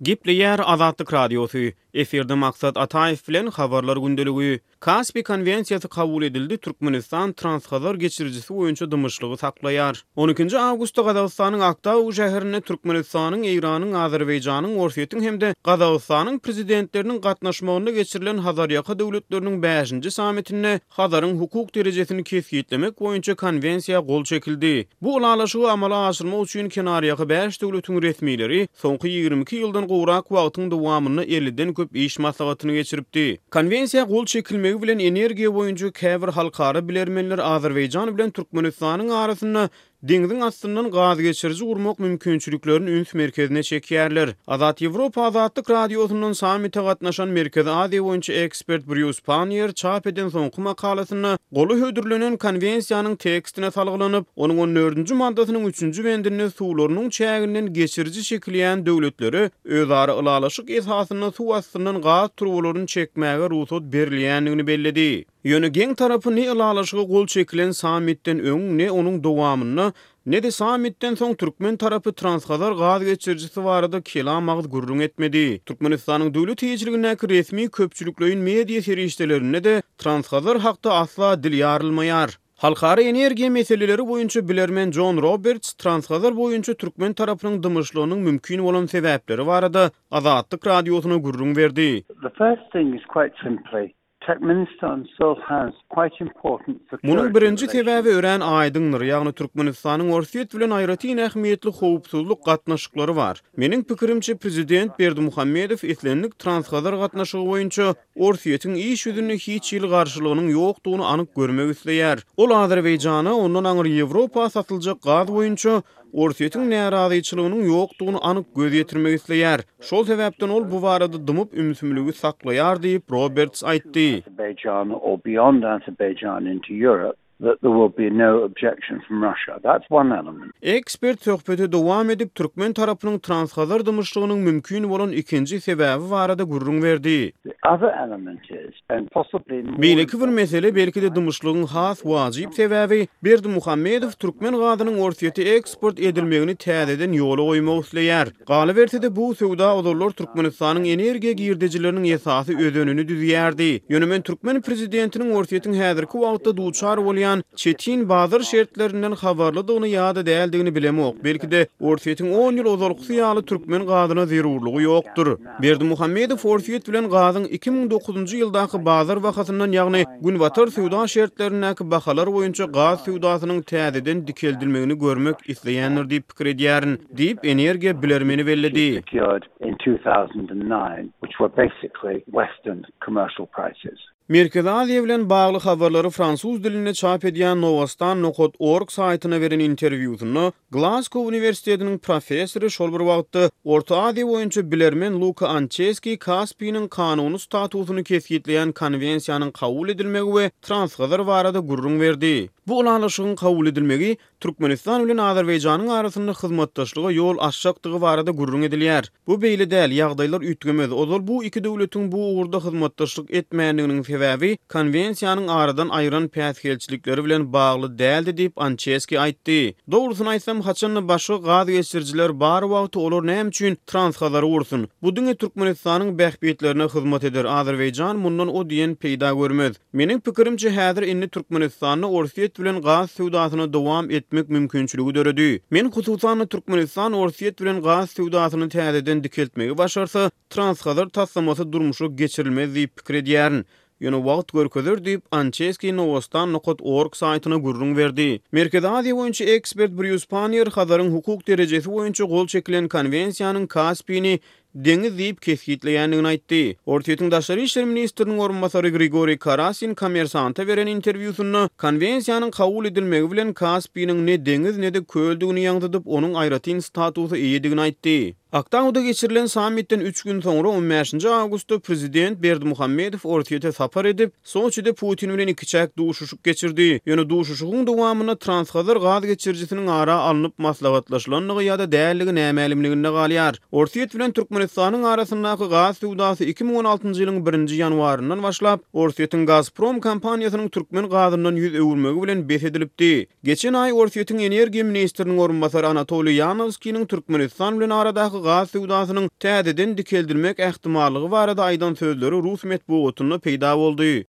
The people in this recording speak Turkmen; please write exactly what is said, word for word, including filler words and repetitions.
Gepleýär Azatlyk Radiosy. Efirde Maksat Ataýew bilen Habarlar gündeligi. Kaspi konwensiýasy kabul edildi, Türkmenistan Transhazar geçirijisi boýunça dymyşlygy saklaýar. On ikinji awgustda Gazagystanyň Aktau şäherinde Türkmenistanyň, Eýranyň, Azerbaýjanyň, Orsýetiň hem-de Gazagystanyň prezidentleriniň gatnaşmagynda geçirilen Hazarýaka döwletleriniň bäşinji sammitinde Hazaryň hukuk derejesini kesgitlemek boýunça konwensiýa gol çekildi. Bu ylalaşygy amala aşyrmak üçin kenarýaka bäş döwletiň resmileri soňky ýigrimi iki ýyldan gowrak wagtyň dowamynda elliden köp iş maslahatyny geçiripdi. Konwensiýa gol çekilmegi bilen energiýa boýunça käbir halkara bilermenler Azerbaýjan bilen Türkmenistanyň arasynda deňziň astyndan gaz geçiriji gurmak mümkinçiliklerini üns merkezine çekýärler. Azat Ýewropa Azatlyk Radiosyndan sammite gatnaşan Merkezi Aziýa boýunça ekspert Brýus Panniýer çap eden soňky makalasynda goly hödürlenen konwensiýanyň tekstine salgylanyp, onuň on dördünji maddasynyň üçünji bendinde suwlarynyň çäginden geçiriji çekilýän döwletlere özara ylalaşyk esasynda suw astyndan gaz turbalaryny çekmäge rugsat berilýändigini belledi. Ýöne geň tarapy ne ylalaşyga gol çekilen sammitden öň, ne onuň dowamynda, ne-de sammitden soň türkmen tarapy Transhazar gaz geçirijisi barada kelam agyz gürrüň etmedi. Türkmenistanyň döwlet eýeçiligindäki resmi köpçülikleýin media serişdelerinde-de Transhazar hakda asla dil ýarylmaýar. Halkara energiýa meseleleri boýunça bilermen Jon Roberts Transhazar boýunça türkmen tarapynyň dymyşlygynyň mümkin bolan sebäpleri barada Azatlyk Radiosyna gürrüň berdi. The first thing is quite simply Turkmenistan still has quite important security Munuň birinji relations. sebäbi örän aýdyňdyr, ýagny Türkmenistanyň Orsýet bilen aýratyn ähmiýetli howpsuzlyk gatnaşyklary bar. Meniň pikirimçe, prezident Berdimuhamedow islendik Transhazar gatnaşygy boýunça Orsýetiň iş ýüzünde hiç hili garşylygynyň ýokdugyny anyk görmek isleýär. Ol Azerbaýjana, ondan aňry Ýewropa satyljak gaz boýunça Orsýetiň närazyçylygynyň ýokdugyny anyk göz ýetirmek isleýär. Şol sebäpden ol bu barada dymyp ümsümligi saklaýar diýip, Roberts aýtdy. Azerbaijan or beyond Azerbaijan into Europe, that there will be no objection from Russia. That's one element. Ekspert söhbeti dowam edip, türkmen tarapynyň Transhazar dymyşlygynyň mümkin bolan ikinji sebäbi barada gürrüň berdi. The other element is, and possibly more Beýleki bir mesele, belki-de dymyşlygyň has wajyp sebäbi, Berdimuhamedow türkmen gazynyň Orsýete eksport edilmegini täzeden ýola goýmak isleýär. Galyberse-de, bu söwda ozallar Türkmenistanyň energiýa girdejileriniň esasy özenini düzýärdi. Ýöne men türkmen prezidentiniň Orsýetiň häzirki wagtda duçar bolýan çetin bazar şertlerinden habarlydygyny ýa-da däldigini bilemok. Belki-de Orsýetiň on ýyl ozalkysy ýaly türkmen gazyna zerurlygy ýokdur. Berdimuhamedow Orsýet bilen gazyň iki müň dokuzynjy ýyldaky bazar bahasyndan, ýagny günbatar söwda şertlerindäki bahalar boýunça gaz söwdasynyň täzeden dikeldilmegini görmek isleýändir diýip pikir edýärin, diýip energiýa bilermeni belledi. Secured in two thousand and nine, which were basically Western commercial prices. Merkezi Aziýa bilen bagly habarlary fransuz dilinde çap edýän Novostan nokat org saýtyna beren interwýusynda Glasgow uniwersitetiniň professory şol bir wagtda Orta Aziýa boýunça bilermen Luka Ançeski Kaspiniň kanuny statusyny kesgitleýän konwensiýanyň kabul edilmegi we Transhazar barada gürrüň berdi. Bu ylalaşygyň kabul edilmegi Türkmenistan bilen Azerbaýjanyň arasynda hyzmatdaşlyga ýol açjakdygy barada gürrüň edilýär. Bu beýle däl, ýagdaýlar üýtgemez. Ozal bu iki döwletiň bu ugurda hyzmatdaşlyk etmändiginiň sebäbi konwensiýanyň aradan aýyran päsgelçilikleri bilen bagly däldi diýip Ançeski aýtdy. Dogrusyny aýtsam, haçanda başga gaz geçirijiler bar wagty olar näme üçin Transhazary gursun? Bu diňe Türkmenistanyň bähbitlerine hyzmat eder. Azerbaýjan mundan o diýen peýda görmez. Meniň pikirimçe, häzir indi Türkmenistanda Orsýet bilen gaz söwdasyna dowam etmek mümkinçiligi döredi. Men hususan-da Türkmenistan Orsýet bilen gaz söwdasyny täzeden dikeltmegi başarsa, Transhazar taslamasy durmuşa geçirilmez diýip pikir edýärin. Ýöne wagt görkezer diýip Ançeski Novostan nokat org saýtyna gürrüň berdi. Merkezi Aziýa boýunça ekspert Brýus Panniýer Hazaryň hukuk derejesi boýunça gol çekilen konwensiýanyň Kaspini deňiz diýip kesgitleýändigini aýtdy. Orsýetiň daşary işler ministriniň orunbasary Grigoriý Karasin Kommersanta beren interwýusynda konwensiýanyň kabul edilmegi bilen Kaspiniň ne deňiz ne-de köldügini ýaňzydyp, onuň aýratyn statusy eýedigini aýtdy. Aktauda geçirilen sammitden üç gün soňra on bäşinji awgustda prezident Berdimuhamedow Orsýete sapar edip, Soçide Putin bilen ikiçäk duşuşyk geçirdi. Ýöne duşuşygyň dowamynda Transhazar gaz geçirijisiniň ara alnyp maslahatlaşylandygy ýa-da däldigi nämälimliginde galýar. Orsýet bilen Türkmenistanyň Türkmenistanyň arasyndaky gaz söwdasy iki müň on altynjy ýylyň birinji ýanwaryndan başlap, Orsýetiň Gazprom kompaniýasynyň türkmen gazyndan ýüz öwürmegi bilen bes edilipdi. Geçen aý Orsýetiň energiýa ministriniň orunbasary Anatoliý Ýanowskiniň Türkmenistan bilen aradaky gaz söwdasynyň täzeden dikeldilmek ähtimallygy barada aýdan sözleri rus metbugatynda peýda boldy.